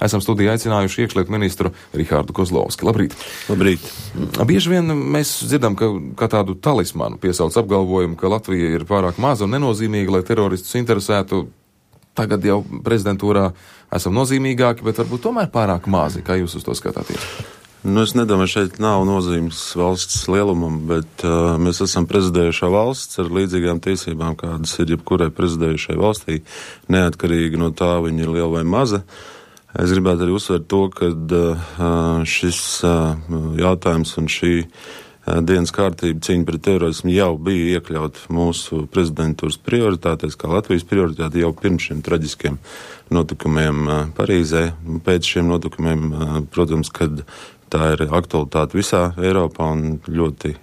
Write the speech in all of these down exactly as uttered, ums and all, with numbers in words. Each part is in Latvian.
Esam studijā aicinājuši iekšlietu ministru Rihārdu Kozlovski. Labrīt! Labrīt! Bieži vien mēs dzirdam, ka kā tādu talismanu piesauc apgalvojumu, ka Latvija ir pārāk maza un nenozīmīga, lai teroristus interesētu. Tagad jau prezidentūrā esam nozīmīgāki, bet varbūt tomēr pārāk mazi. Kā jūs uz to skatāties? Nu, es nedomāju, šeit nav nozīmes valsts lielumam, bet uh, mēs esam prezidējušā valsts ar līdzīgām tiesībām, kādas ir jebkurai prezidējušai valstī, neatkarīgi no tā, viņa ir liela vai maza. Es gribētu arī uzsvērt to, ka uh, šis uh, jautājums un šī uh, dienas kārtība cīņa pret terorismu jau bija iekļaut mūsu prezidentūras prioritātēs, kā Latvijas prioritāte jau pirms šiem traģiskiem notikumiem uh, Parīzē. Pēc šiem notikumiem, uh, protams, kad tā ir aktualitāte visā Eiropā un ļoti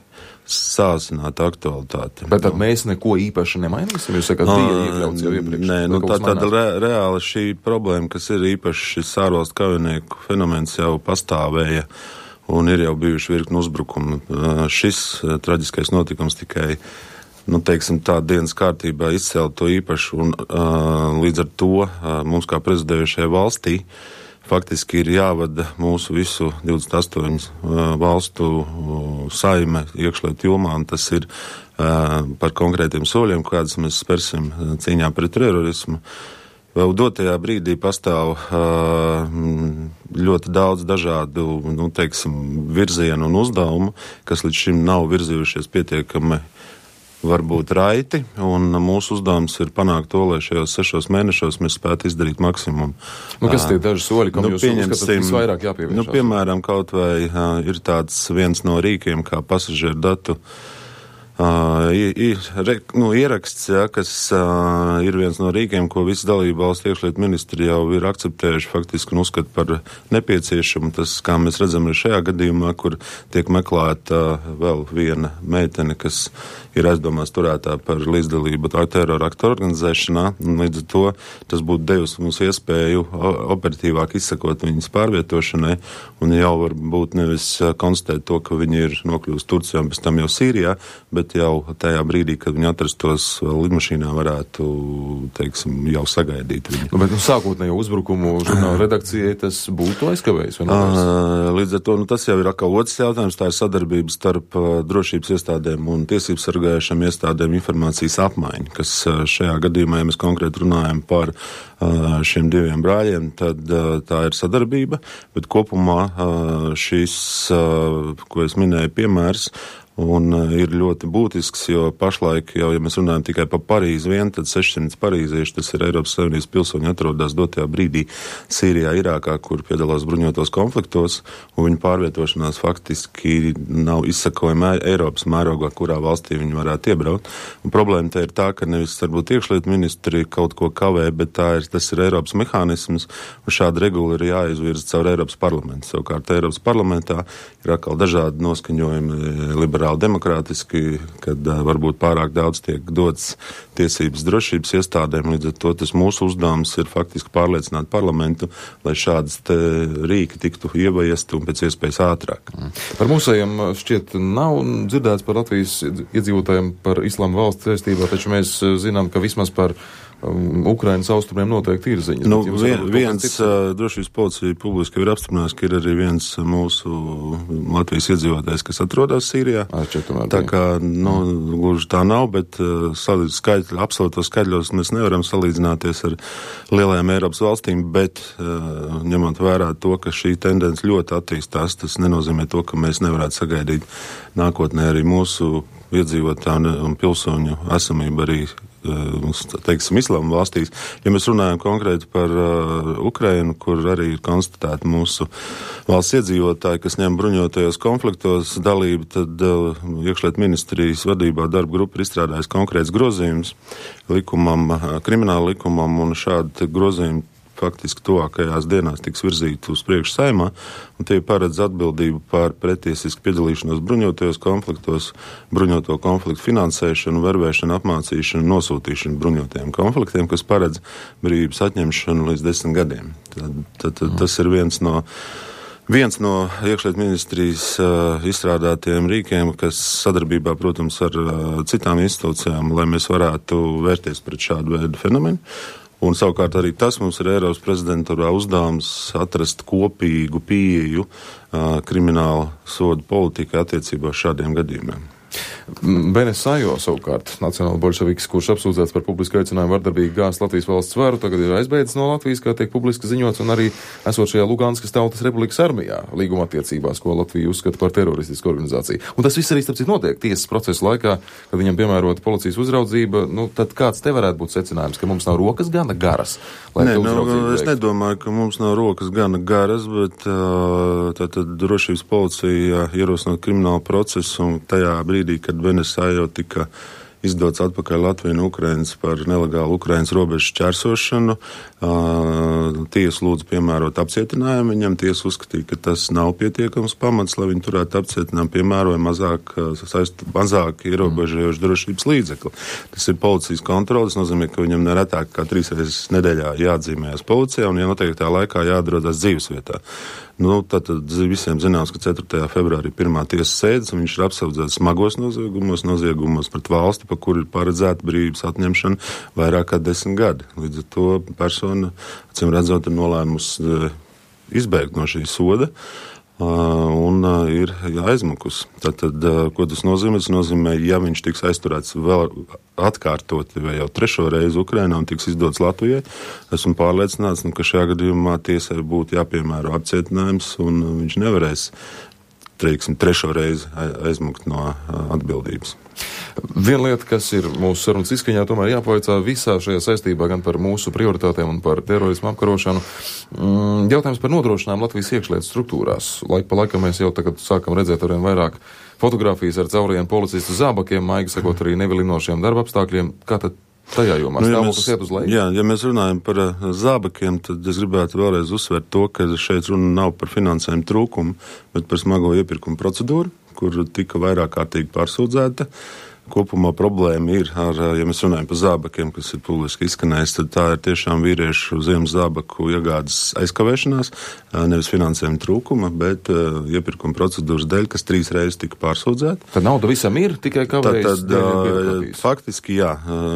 sāsināta aktualitāte. Bet tad mēs neko īpaši nemainīsim? Jūs sakat, bija iekļauts jau iepriekš. Nē, nu, tā, tāda re, reāli šī problēma, kas ir īpaši šis ārvalstu kaujinieku fenomens jau pastāvēja un ir jau bijuši virkni uzbrukumi. Šis traģiskais notikums tikai, nu, teiksim, tā dienas kārtībā izcēla to īpaši un līdz ar to mums kā prezidējušajai valstī faktiski ir jāvada mūsu visu divdesmit astoņu uh, valstu uh, saime iekšlietu jomā, un tas ir uh, par konkrētiem soļiem, kādus mēs spērsim uh, cīņā pret terorismu. Vēl dotajā brīdī pastāv uh, ļoti daudz dažādu, nu, teiksim, virzienu un uzdevumu, kas līdz šim nav virzījušies pietiekami varbūt raiti, un mūsu uzdevums ir panākt to, lai šajos sešos mēnešos mēs spētu izdarīt maksimumu. Nu, kas tie daži soļi, kam nu, jūs uzskatāt visvairāk jāpievēršās? Nu, piemēram, kaut vai uh, ir tāds viens no rīkiem, kā pasažieru datu uh, i, i, re, nu, ieraksts, ja, kas uh, ir viens no rīkiem, ko visi dalību valstu iekšlietu ministri jau ir akceptējuši faktiski un uzskat par nepieciešamu. Tas, kā mēs redzam arī šajā gadījumā, kur tiek meklēta uh, vēl viena meitene, kas ir aizdomās turētā par līdzdalību terora aktu organizēšanā, un līdz ar to tas būtu devis mums iespēju operatīvāk izsakot viņas pārvietošanai, un jau varbūt nevis konstatēt to, ka viņi ir nokļūst Turcijā un pēc tam jau Sīrijā, bet jau tajā brīdī, kad viņi atrastos lidmašīnā, varētu, teiksim, jau sagaidīt viņu. Nu, bet nu, sākotnējo uzbrukumu žurnāla redakcijai tas būtu aizkavējis? Līdz ar to, nu, tas jau ir atkal otrs jautājums, tā ir sadarbība starp uh, drošības iestādēm un tiesības sargājušām iestādēm informācijas apmaiņa, kas šajā gadījumā, ja mēs konkrēti runājam par šiem diviem brāļiem, tad tā ir sadarbība, bet kopumā šis, ko es minēju, piemērs, un ir ļoti būtisks, jo pašlaik jau, ja mēs runājam tikai par Parīzi vien, tad sešsimt parīzieši, tas ir Eiropas Savienības pilsoņi, atrodas dotajā brīdī Sīrijā, Irākā, kur piedalās bruņotos konfliktos, un viņu pārvietošanās faktiski nav izsakojama Eiropas mērogā, kurā valstī viņi varētu iebraukt. Un problēma te ir tā, ka nevis varbūt iekšlietu ministri kaut ko kavē, bet tā ir, tas ir Eiropas mehānisms, un šāda regula ir jāizvirza caur Eiropas parlamentu. Savukārt Eiropas parlamentā ir atkal dažādi noskaņojumi, liberāli demokrātiski, kad uh, varbūt pārāk daudz tiek dots tiesības drošības iestādēm, līdz ar to tas mūsu uzdevums ir faktiski pārliecināt parlamentu, lai šādas te rīki tiktu ieviesti un pēc iespējas ātrāk. Mm. Par mūsējiem šķiet nav dzirdēts par Latvijas iedzīvotājiem par islāma valsts saistībā, taču mēs zinām, ka vismaz par Um, Ukrainas austrumiem noteikti ir ziņas. Nu, vien, viens uh, drošības policija publiski ir apstiprinājis, ka ir arī viens mūsu Latvijas iedzīvotājs, kas atrodas Sīrijā. Tomēr, tā kā, nu, gluži tā nav, bet uh, skaidri, absolūtos skaidļos mēs nevaram salīdzināties ar lielajām Eiropas valstīm, bet uh, ņemot vērā to, ka šī tendence ļoti attīstās, tas nenozīmē to, ka mēs nevarētu sagaidīt nākotnē arī mūsu iedzīvotāju un pilsoņu esamību arī, teiksim, islāma valstīs. Ja mēs runājam konkrēti par uh, Ukrainu, kur arī ir konstatēti mūsu valsts iedzīvotāji, kas ņem bruņotajos konfliktos dalību, tad uh, iekšlietu ministrijas vadībā darba grupa ir izstrādājusi konkrēts grozījums likumam, uh, krimināla likumam, un šādi grozījumi faktiski tuvākajās dienās tiks virzīti uz priekšu Saeimā, un tie paredz atbildību par pretiesisku piedalīšanos bruņotajos konfliktos, bruņoto konfliktu finansēšanu, vervēšanu, apmācīšanu, nosūtīšanu bruņotajiem konfliktiem, kas paredz brīvības atņemšanu līdz desmit gadiem. Tad, tad, tad tas ir viens no Viens no iekšlietu ministrijas uh, izstrādātiem rīkiem, kas sadarbībā, protams, ar uh, citām institūcijām, lai mēs varētu vērties pret šādu veidu fenomenu. Un savukārt arī tas mums ir Eiropas prezidentūrā uzdevums atrast kopīgu pieeju uh, krimināla sodu politika attiecībā uz šādiem gadījumiem. Benes Sajo savukārt, nacionāla bolševiks, kurš apsūdzēts par publisku aicinājumu vardarbīgi gāzt Latvijas valsts varu, tagad ir aizbēdzis no Latvijas, kā tiek publiski ziņots, un arī esot šajā Luganskas Tautas Republikas armijā līguma attiecībās, ko Latvija uzskata par teroristisku organizāciju. Un tas viss arī, starp citu, notiek tiesas procesa laikā, kad viņam piemērota policijas uzraudzība. Nu, tad kāds te varētu būt secinājums, ka mums nav rokas gana garas? Nē, nu, es nedomāju, ka mums nav rokas gana garas, bet tātad drošības policija ierosinot kriminālu procesu un tajā brīdī, kad Benes Sajo tika izdots atpakaļ Latviju un Ukrainas par nelegālu Ukrainas robežu šķērsošanu. Tiesa lūdzu piemērot apcietinājumu. Viņam tiesa uzskatīja, ka tas nav pietiekams pamats, lai viņi turētu apcietinājumu, piemēroja mazāk, saist, mazāk ierobežojošu drošības līdzekli. Tas ir policijas kontrole, tas nozīmē, ka viņam neretāk kā trīs reizes nedēļā jāatzīmējas policijā un ja noteiktā laikā jāatrodas dzīvesvietā. Nu, tad visiem zināms, ka ceturtajā februārī pirmā tiesas sēdes, un viņš ir apsaudzēts smagos noziegumos, noziegumos pret valsti, pa kuru ir paredzēta brīvības atņemšana vairāk kā desmit gadi. Līdz ar to persona, acīm redzot, ir nolēmusi izbēgt no šī soda un ir aizmukus. Tātad, ko tas nozīmē? Tas nozīmē, ja viņš tiks aizturēts vēl atkārtoti vai jau trešo reizi Ukrainā un tiks izdots Latvijai, esmu pārliecināts, ka šajā gadījumā tiesai būtu jāpiemēro apcietinājums un viņš nevarēs, teiksim, trešo reizi aizmukt no atbildības. Viena lieta, kas ir mūsu sarunas izskaņā, tomēr jāpavaicā visā šajā saistībā gan par mūsu prioritātēm un par terorismu apkarošanu. Jautājums par nodrošinājumu Latvijas iekšlietu struktūrās. Laik pa laikam mēs jau tagad sākam redzēt arvien vairāk fotogrāfijas ar caurajiem policistu zābakiem, maigi sakot arī nevilinošiem darba apstākļiem. Kā tad tajā jomā nu, ja stāvoklis iet uz leju? Jā, ja mēs runājam par uh, zābakiem, tad es gribētu vēlreiz uzsvērt to, ka šeit runa nav par finansējumu trūkumu, bet par smago iepirkumu procedūru, kur tika vairāk kārtīgi pārsūdzēta. Kopumā problēma ir, ar, ja mēs runājam par zābakiem, kas ir publiski izskanējis, tad tā ir tiešām vīriešu ziemas zābaku iegādes aizkavēšanās, nevis finansējuma trūkuma, bet uh, iepirkuma procedūras dēļ, kas trīs reizes tika pārsūdzēta. Tad nauda visam ir, tikai kavējas tad, tad, faktiski jā,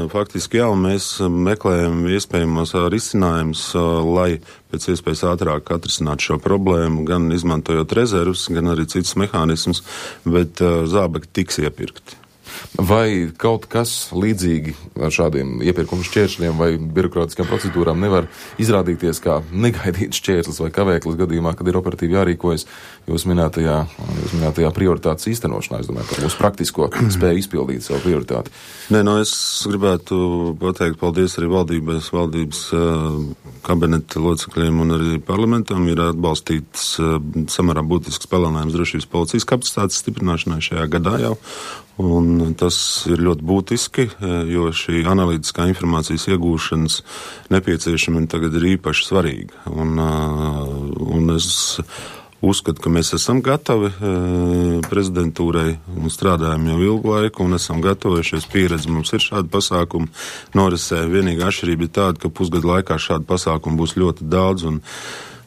faktiski jā, un mēs meklējam iespējamos risinājumus, lai pēc iespējas ātrāk atrisināt šo problēmu, gan izmantojot rezervus, gan arī citus mehānismus, bet uh, zābaki tiks iepirkti. Vai kaut kas līdzīgi ar šādiem iepirkumu šķēršļiem vai birokrātiskām procedūrām nevar izrādīties kā negaidīts šķērslis vai kavēklis gadījumā, kad ir operatīvi jārīkojas jūs minētajā, jūs minētajā prioritātes īstenošanā? Es domāju, par mūsu praktisko spēju izpildīt savu prioritāti. Nē, no es gribētu pateikt paldies arī valdības, valdības uh, kabineta locekļiem un arī parlamentam ir atbalstīts uh, samērā būtisks palielinājums drošības policijas kapacitātes stiprināšanai šajā gadā jau. Un tas ir ļoti būtiski, jo šī analītiskā informācijas iegūšanas nepieciešamība tagad ir īpaši svarīga. Un, un es uzskatu, ka mēs esam gatavi prezidentūrai un strādājam jau ilgu laiku un esam gatavies pieredzi. Mums ir šādi pasākumi norisē. Vienīgā atšķirība ir tāda, ka pusgadu laikā šādu pasākumu būs ļoti daudz un,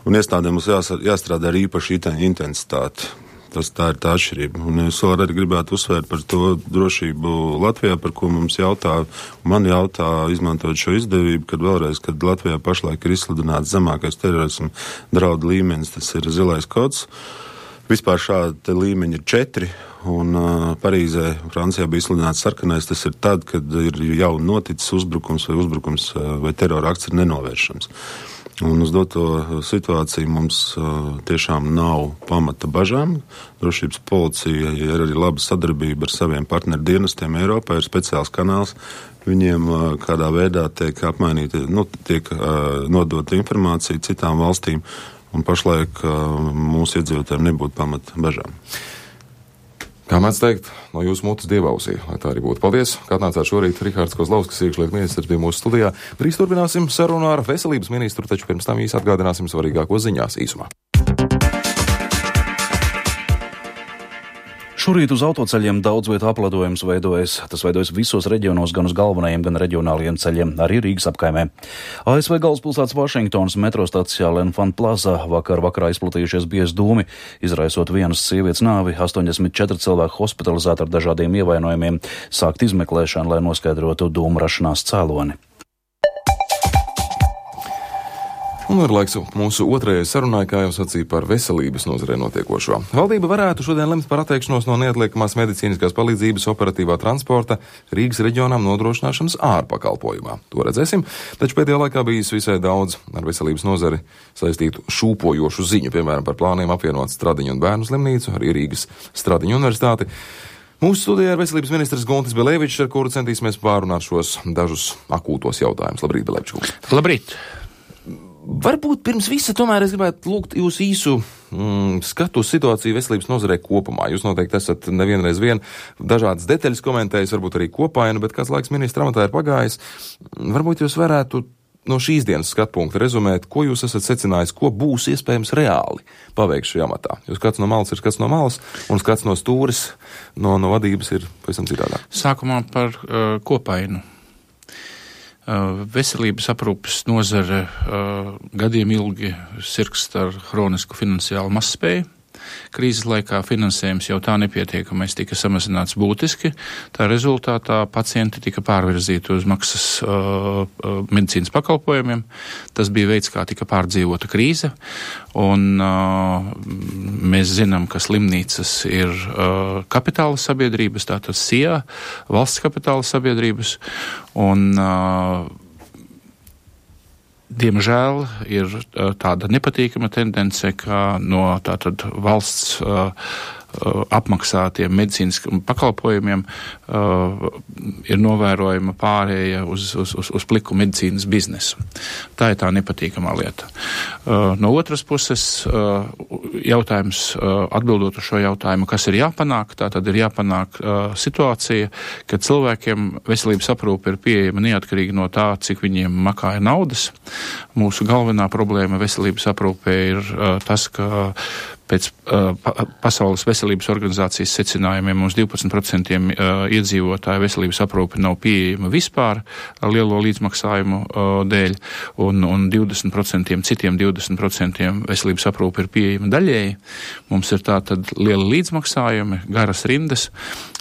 un iestādēm mums jāstrādā ar īpašu intensitāti. Tas tā ir tā atšķirība. Un es vēl arī gribētu uzsvērt par to drošību Latvijā, par ko mums jautā, man jautā, izmantojot šo izdevību, kad vēlreiz, kad Latvijā pašlaik ir izsludināts zemākais terorismu draudu līmenis, tas ir zilais kods. Vispār šādi līmeņi ir četri, un uh, Parīzē, Francijā bija izsludināts sarkanais, tas ir tad, kad ir jau noticis uzbrukums vai uzbrukums uh, vai terora akts ir nenovēršams. Un uz doto situāciju mums uh, tiešām nav pamata bažām. Drošības policija ir arī laba sadarbība ar saviem partneru dienestiem Eiropā, ir speciāls kanāls. Viņiem uh, kādā veidā tiek apmainīta, nu, tiek uh, nodota informācija citām valstīm, un pašlaik uh, mūsu iedzīvotājiem nebūtu pamata bažām. Kā mēdz teikt, no jūsu mutes dievausī, lai tā arī būtu. Paldies, kā atnācāt šorīt Rihards Kozlauskas, iekšlietu ministrs, bija mūsu studijā. Drīz turpināsim sarunu ar veselības ministru, taču pirms tam īsi atgādināsim svarīgāko ziņās īsumā. Šorīt uz autoceļiem daudz vietu apledojums veidojas. Tas veidojas visos reģionos, gan uz galvenajiem, gan reģionāliem ceļiem, arī Rīgas apkaimē. A S V galvaspilsētas Vašingtonas metro stacijā Lenfant Plaza vakar vakarā izplatījušies biezi dūmi, izraisot vienas sievietes nāvi, astoņdesmit četri cilvēki hospitalizēti ar dažādiem ievainojumiem, sākt izmeklēšanu, lai noskaidrotu dūmu rašanās cēloni. Un ir laiks mūsu otrajai sarunai, kā jau sacīja, par veselības nozarē notiekošo. Valdība varētu šodien lemt par atteikšanos no neatliekamās medicīniskās palīdzības operatīvā transporta Rīgas reģionām nodrošināšanas ārpakalpojumā. To redzēsim, taču pēdējā laikā bijis visai daudz ar veselības nozari saistītu šūpojošu ziņu, piemēram, par plāniem apvienot Stradiņu un Bērnu slimnīcu, arī Rīgas Stradiņu universitāti. Mūsu studijā ir veselības ministrs Guntis Belevičs, ar kuru centīsimies pārunāt šos dažus akūtos jautājumus. Labrīt, Belevičs. Labrīt. Varbūt pirms visa tomēr es gribētu lūgt jūs īsu mm, skatu uz situāciju veselības nozarē kopumā. Jūs noteikti esat nevienreiz vien dažādas detaļas komentējis, varbūt arī kopainu, bet kāds laiks ministra amatā ir pagājis. Varbūt jūs varētu no šīs dienas skatpunkta rezumēt, ko jūs esat secinājis, ko būs iespējams reāli paveikt šajā amatā. Jo skats no malas ir skats no malas, un skats no stūris, no, no vadības ir pavisam citādāk. Sākumā par uh, kopainu. Uh, veselības aprūpes nozare uh, gadiem ilgi sirgst ar hronisku finansiālu mazspēju. Krīzes laikā finansējums jau tā nepietiekamais tika samazināts būtiski. Tā rezultātā pacienti tika pārvirzīti uz maksas uh, medicīnas pakalpojumiem. Tas bija veids, kā tika pārdzīvota krīze. Un uh, mēs zinām, ka slimnīcas ir uh, kapitāla sabiedrības, tātad S I A, valsts kapitāla sabiedrības. Un uh, Diemžēl ir tāda nepatīkama tendence, ka no tātad valsts uh, uh, apmaksātiem medicīniskiem pakalpojumiem uh, ir novērojama pārēja uz, uz, uz, uz pliku medicīnas biznesu. Tā ir tā nepatīkamā lieta. Uh, no otras puses, uh, jautājums, uh, atbildot uz šo jautājumu, kas ir jāpanāk, tā tad ir jāpanāk uh, situācija, ka cilvēkiem veselības aprūpe ir pieejama neatkarīgi no tā, cik viņiem makāja naudas. Mūsu galvenā problēma veselības aprūpē ir uh, tas, ka pēc uh, pa, Pasaules veselības organizācijas secinājumiem mums divpadsmit procenti uh, iedzīvotāju veselības aprūpe nav pieejama vispār lielo līdzmaksājumu uh, dēļ, un, un divdesmit procenti citiem divdesmit procenti veselības aprūpe ir pieejama daļēji. Mums ir tātad liela līdzmaksājumi, garas rindas,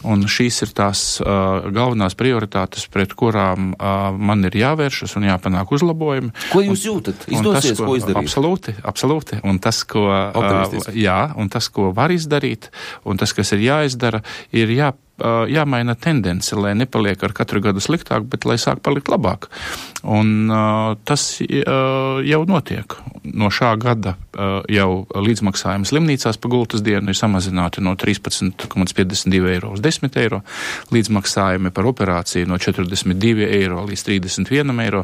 un šīs ir tās uh, galvenās prioritātes, pret kurām uh, man ir jāvēršas un jāpanāk uzlabojumi. Ko jūs jūtat? Izdosies, tas, ko, ko izdarīt? Absolūti, absolūti. Un tas, ko, uh, jā, un tas, ko var izdarīt, un tas, kas ir jāizdara, ir jā, uh, jāmaina tendence, lai nepaliek ar katru gadu sliktāk, bet lai sāk palikt labāk. Un uh, tas uh, jau notiek. No šā gada uh, jau līdzmaksājumi slimnīcās pa gultas dienu ir samazināti no trīspadsmit komats piecdesmit divi eiro uz desmit eiro, līdzmaksājumi par operāciju no četrdesmit divi eiro līdz trīsdesmit viens eiro.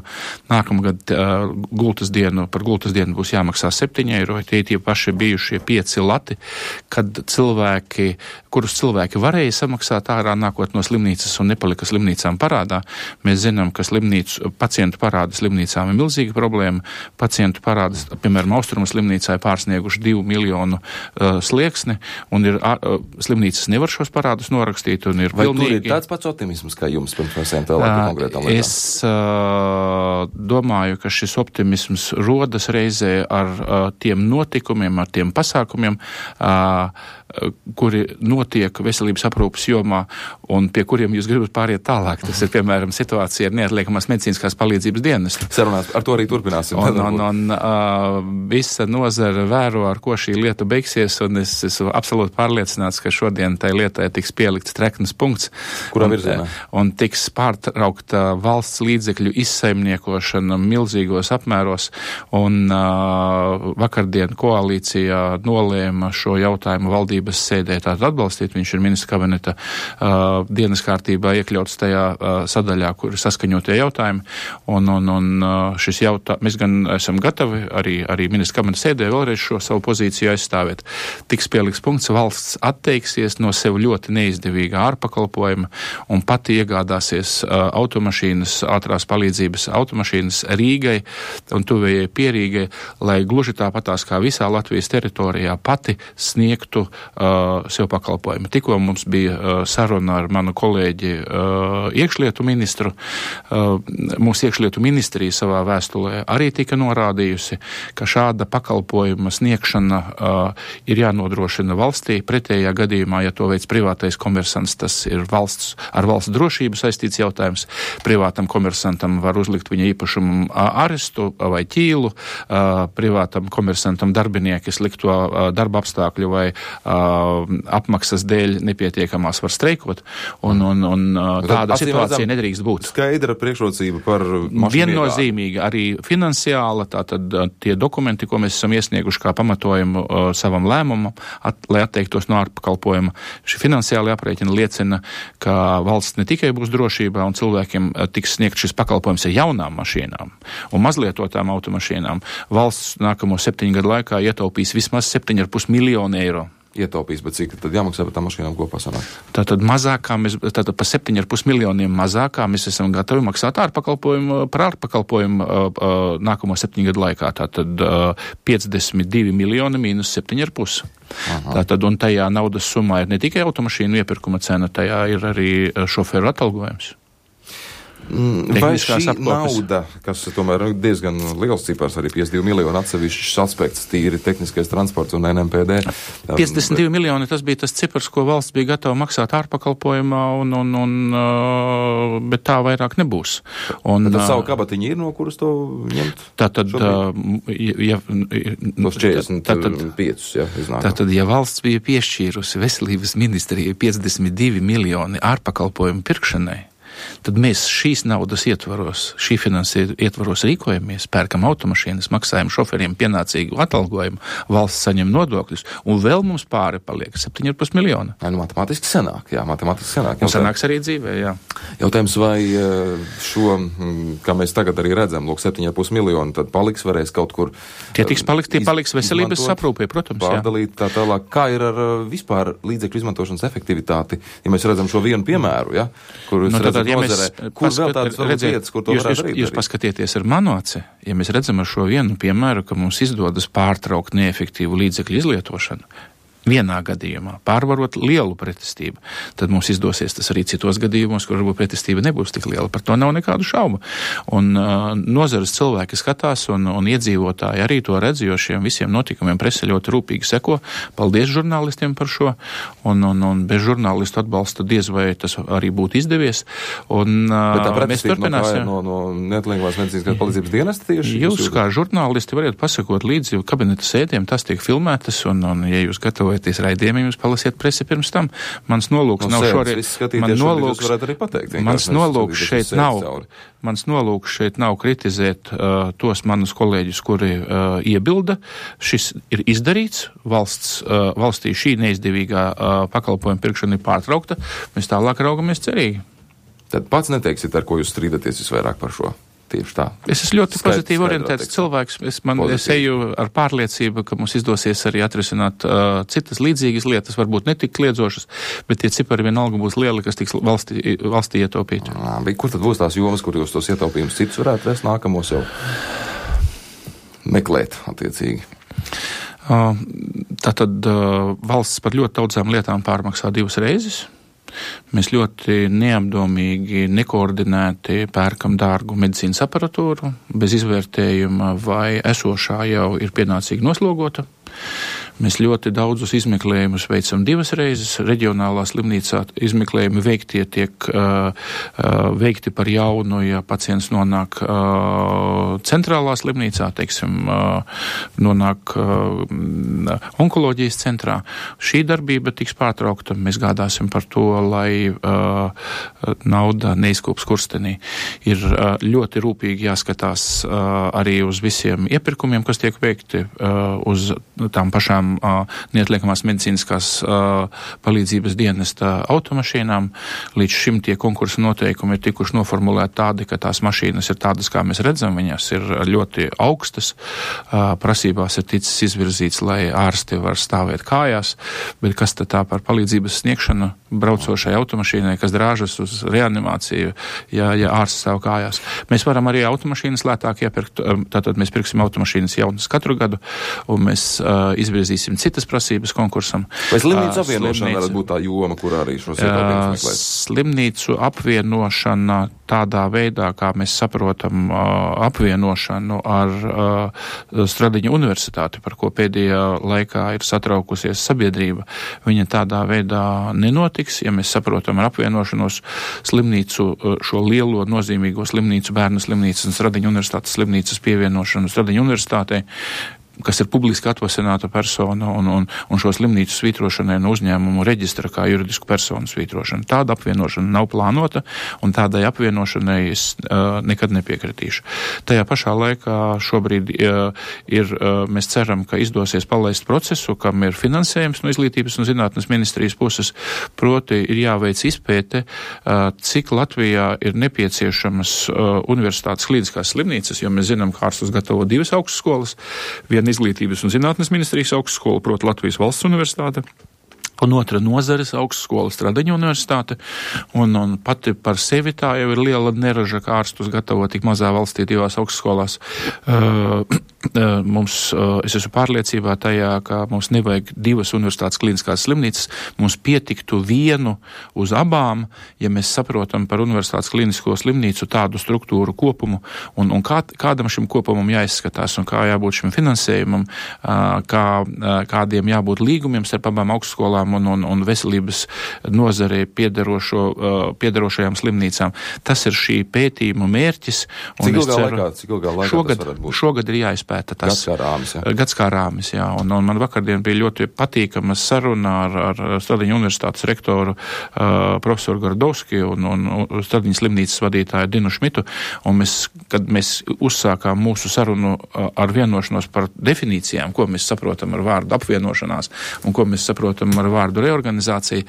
Nākamgad uh, gultas dienu, par gultas dienu būs jāmaksā septiņi eiro, tie tie paši bijušie pieci lati, kad cilvēki, kurus cilvēki varēja samaksāt ārā nākot no slimnīcas un nepalika slimnīcām parādā. Mēs zinām, ka slimnīcu, pacientu parāda slimnīcām ir milzīga problēma. Pacientu parādas, piemēram, Austrumu slimnīcā ir pārsnieguši divu miljonu uh, slieksni, un ir, uh, slimnīcas nevar šos parādus norakstīt, un ir Vai pilnīgi... tur ir tāds pats optimisms, kā jums pirms mēs ejam tālāk par konkrētām lietām? Es uh, domāju, ka šis optimisms rodas reizē ar uh, tiem notikumiem, ar tiem pasākumiem, uh, kuri notiek veselības aprūpes jomā un pie kuriem jūs gribat pāriet tālāk. Tas ir, piemēram, situācija ar neatliekamās medicīniskās palīdzības dienestu. Sarunās ar to arī turpināsim. Un, un, un uh, visa nozara vēro, ar ko šī lieta beigsies, un es esmu absolūti pārliecināts, ka šodien tai lietai tiks pielikts treknas punkts. Kurā un, virzienā? Un tiks pārtraukta valsts līdzekļu izsaimniekošana milzīgos apmēros, un uh, vakardien koalīcijā nolēma šo jautājumu valdības sēdē tātad atbalstīt. Viņš ir ministra kabineta uh, dienas kārtībā iekļauts tajā uh, sadaļā, kur ir saskaņotie jautājumi. Un, un, un uh, šis jautājums, mēs gan esam gatavi arī, arī ministra kabineta sēdē vēlreiz šo savu pozīciju aizstāvēt. Tiks pieliks punkts, valsts atteiksies no sev ļoti neizdevīgā ārpakalpojuma un pati iegādāsies uh, automašīnas, ātrās palīdzības automašīnas Rīgai un tuvējai Pierīgai, lai gluži tāpatās kā visā Latvijas teritorijā pati sniegtu uh, sev pakalpojumi. Tikko mums bija uh, saruna ar manu kolēģi iekšlietu ministru. Mūsu iekšlietu ministrija savā vēstulē arī tika norādījusi, ka šāda pakalpojuma sniegšana ir jānodrošina valstī. Pretējā gadījumā, ja to veids privātais komersants, tas ir valsts, ar valsts drošību saistīts jautājums. Privātam komersantam var uzlikt viņa īpašumu arestu vai ķīlu, privātam komersantam darbinieki slikto darba apstākļu vai apmaksas dēļ nepietiekamās var streikot, un, un, un tāda Tad, situācija nedrīkst būt. Skaidra priekšrocība par mašīnu. Viennozīmīgi arī finansiāla, tātad tie dokumenti, ko mēs esam iesnieguši kā pamatojumu uh, savam lēmumam, at, lai atteiktos no ārpakalpojuma. Šī finansiāla aprēķina liecina, ka valsts ne tikai būs drošībā un cilvēkiem uh, tiks sniegt šis pakalpojums ar jaunām mašīnām un mazlietotām automašīnām. Valsts nākamo septiņu gadu laikā ietaupīs vismaz septiņi ar pus miljonu eiro. Ietaupīs, bet cik tad jāmaksā par tām mašīnām kopā sanāk? Tātad mazākā, mēs, tātad pa septiņi ar pus miljoniem mazākā mēs esam gatavi maksāt ārpakalpojumu, par ārpakalpojumu uh, uh, nākamo septiņu gadu laikā. Tātad uh, piecdesmit divi miljoni mīnus septiņi ar pus. Tātad, un tajā naudas summā ir ne tikai automašīnu iepirkuma cena, tajā ir arī šoferu atalgojums. Vai šī apkopes. Nauda, kas tomēr ir diezgan liels cipars, arī piecdesmit divi miljoni atsevišķs aspekts, tīri tehniskais transports un N M P D. piecdesmit divi miljoni, tas bija tas cipars, ko valsts bija gatava maksāt ārpakalpojumā, un, un, un, uh, bet tā vairāk nebūs. Un, bet tas savu kabatiņu ir, no kuras to ņemt? Tātad, uh, ja, tos četrdesmit piecus, ja, iznāk. Tātad, ja valsts bija piešķīrusi veselības ministrijai piecdesmit divi miljoni ārpakalpojumu pirkšanai, tad mēs šīs naudas ietvaros, šī finansējuma ietvaros rīkojamies, pērkam automašīnas, maksājam šoferiem pienācīgu atalgojumu, valsts saņem nodokļus, un vēl mums pāri paliek septiņi ar pus miljoni. Jā, nu, matemātiski sanāk, jā, matemātiski sanāk. Un sanāks arī dzīvē, jā. Jautājums, vai šo, kā mēs tagad arī redzam, lūk, septiņi ar pus miljoni, tad paliks, varēs kaut kur. Tie tiks palikt, tie paliks veselības saprūpē, protams, jā. Pārdalīt tā tālāk. Kā ir ar vispār līdzekļu izmantošanas efektivitāti, ja mēs redzam šo vienu piemēru, ja, kur nu, tad, ja nozarē, kur vēl tādas redzēt, vietas, kur to jūs, varētu jūs, darīt? Jūs paskatieties ar manu aci, ja mēs redzam ar šo vienu piemēru, ka mums izdodas pārtraukt neefektīvu līdzekļu izlietošanu, vienā gadījumā pārvarot lielu pretestību, tad mums izdosies tas arī citos gadījumos, kur varbūt pretestība nebūs tik liela. Par to nav nekādu šaubu. Un uh, nozares cilvēki skatās un, un iedzīvotāji arī to redz, jo šiem visiem notikumiem prese ļoti rūpīgi seko. Paldies žurnālistiem par šo. Un, un, un bez žurnālistu atbalsta diez vai tas arī būtu izdevies. Un uh, mēs turpināsim. No, no, no neatliekamās medicīniskās palīdzības dienesta tieši? Jūs, jūs kā žurnālisti variet pasakot līdzi kabineta sēdēm, tas tiek filmētas, un, un ja jūs gatavojaties raidījumiem, jūs palasiet presi pirms tam. Mans nolūks no nav šorīt. Man nolūks, pateikt, mans nolūks šeit nav. Mans nolūks šeit nav kritizēt uh, tos manus kolēģus, kuri uh, iebilda. Šis ir izdarīts. Valsts, uh, valstī šī neizdevīgā uh, pakalpojuma pirkšana ir pārtraukta. Mēs tālāk raugamies cerīgi. Tad pats neteiksit, ar ko jūs strīdaties visvairāk par šo? Tieši tā. Es esmu ļoti Skaidrs, pozitīvi orientēts cilvēks. Es, man, es eju ar pārliecību, ka mums izdosies arī atrisināt uh, citas līdzīgas lietas, varbūt netik kliedzošas, bet tie cipari vienalga būs lieli, kas tiks valstī, valstī ietaupīti. Bet kur tad būs tās jomas, kur jūs tos ietaupījumus citus varētu vest nākamos jau meklēt attiecīgi? Uh, tātad uh, valsts par ļoti daudzām lietām pārmaksā divas reizes. Mēs ļoti neapdomīgi, nekoordinēti pērkam dārgu medicīnas aparatūru, bez izvērtējuma, vai esošā jau ir pienācīgi noslogota. Mēs ļoti daudzus izmeklējumus veicam divas reizes. Reģionālā slimnīcā izmeklējumi veiktie tiek uh, uh, veikti par jaunu, ja pacients nonāk uh, centrālā slimnīcā, teiksim, uh, nonāk uh, onkoloģijas centrā. Šī darbība tiks pārtraukta. Mēs gādāsim par to, lai uh, nauda neizkūp skurstenī. Ir uh, ļoti rūpīgi jāskatās uh, arī uz visiem iepirkumiem, kas tiek veikti, uh, uz tām pašām neatliekamās medicīniskās palīdzības dienesta automašīnām. Līdz šim tie konkursu noteikumi ir tikuši noformulēti tādi, ka tās mašīnas ir tādas, kā mēs redzam, viņas ir ļoti augstas. Prasībās ir ticis izvirzīts, lai ārsti var stāvēt kājās, bet kas tad tā par palīdzības sniegšanu braucošai automašīnai, kas drāžas uz reanimāciju, ja, ja ārsts stāv kājās. Mēs varam arī automašīnas lētāk iepirkt, tātad mēs pirksim automašīnas jaunas katru gadu, un mēs uh, izvirzīsim izvirzīsim citas prasības konkursam. Vai slimnīcu apvienošana varētu būt tā joma, kurā arī šos ieteikumus meklēt? Slimnīcu apvienošana tādā veidā, kā mēs saprotam apvienošanu ar Stradiņa universitāti, par ko pēdējā laikā ir satraukusies sabiedrība, viņa tādā veidā nenotiks. Ja mēs saprotam ar apvienošanos slimnīcu, šo lielo nozīmīgo slimnīcu, bērnu slimnīcas un Stradiņa universitātes slimnīcas pievienošanu Stradiņa universitātei, kas ir publiski atvasināta persona un, un, un šo slimnīcu svītrošanai no uzņēmumu reģistra kā juridisku personu svītrošana. Tāda apvienošana nav plānota, un tādai apvienošanai es uh, nekad nepiekritīšu. Tajā pašā laikā šobrīd uh, ir, uh, mēs ceram, ka izdosies palaist procesu, kam ir finansējums no Izglītības un zinātnes ministrijas puses, proti ir jāveic izpēte, uh, cik Latvijā ir nepieciešamas uh, universitātes klīniskās slimnīcas, jo mēs zinām, ka ārstus gatavo divas augstskolas, viena Izglītības un zinātnes ministrijas augstskola, proti Latvijas valsts universitāte, un otra nozares augstskola Stradiņa universitāte, un, un pati par sevi tā jau ir liela neraža, kā ārstus gatavo tik mazā valstī divās augstskolās. Uh, uh, mums, uh, es esmu pārliecībā tajā, ka mums nevajag divas universitātes klīniskās slimnīcas, mums pietiktu vienu uz abām, ja mēs saprotam par universitātes klīnisko slimnīcu tādu struktūru kopumu, un, un kā, kādam šim kopumam jāizskatās, un kā jābūt šim finansējumam, uh, kā, uh, kādiem jābūt līgumiem starp abām augstskolām, Un, un, un veselības nozarei piederošo, uh, piederošajām slimnīcām. Tas ir šī pētījuma mērķis. Cik ilgā laikā, cik ilgā laikā šogad, tas varētu būt? Šogad ir jāizpēta tas. Gads kā rāmis, jā. Gads kā rāmis, jā. Un, un man vakardien bija ļoti patīkama saruna ar, ar Stradiņa universitātes rektoru uh, profesoru Gardovski un, un Stradiņa slimnīcas vadītāju Dinu Šmitu. Un mēs, kad mēs uzsākām mūsu sarunu uh, ar vienošanos par definīcijām, ko mēs saprotam ar vārdu apvienošanās un ko mēs saprotam ar vārdu reorganizācija,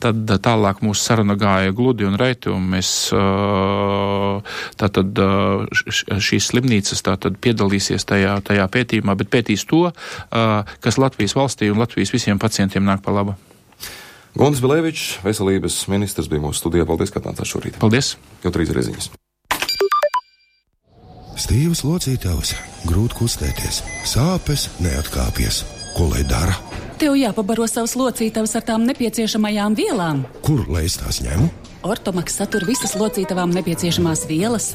tad tālāk mūsu saruna gāja gludi un reiti, un mēs tātad šīs slimnīcas tātad piedalīsies tajā, tajā pētījumā, bet pētīs to, kas Latvijas valstī un Latvijas visiem pacientiem nāk pa labu. Guntis Bilevičs, veselības ministrs, bija mūsu studijā. Paldies, ka atnācāt šorīt. Paldies. Jau trīs reziņas. Stīvas locītavas, grūti kustēties, sāpes neatkāpjas. Ko lai dara? Tev jāpabaro savus locītavas ar tām nepieciešamajām vielām. Kur lai es tās ņemu? Ortomaks satur visas locītavām nepieciešamās vielas.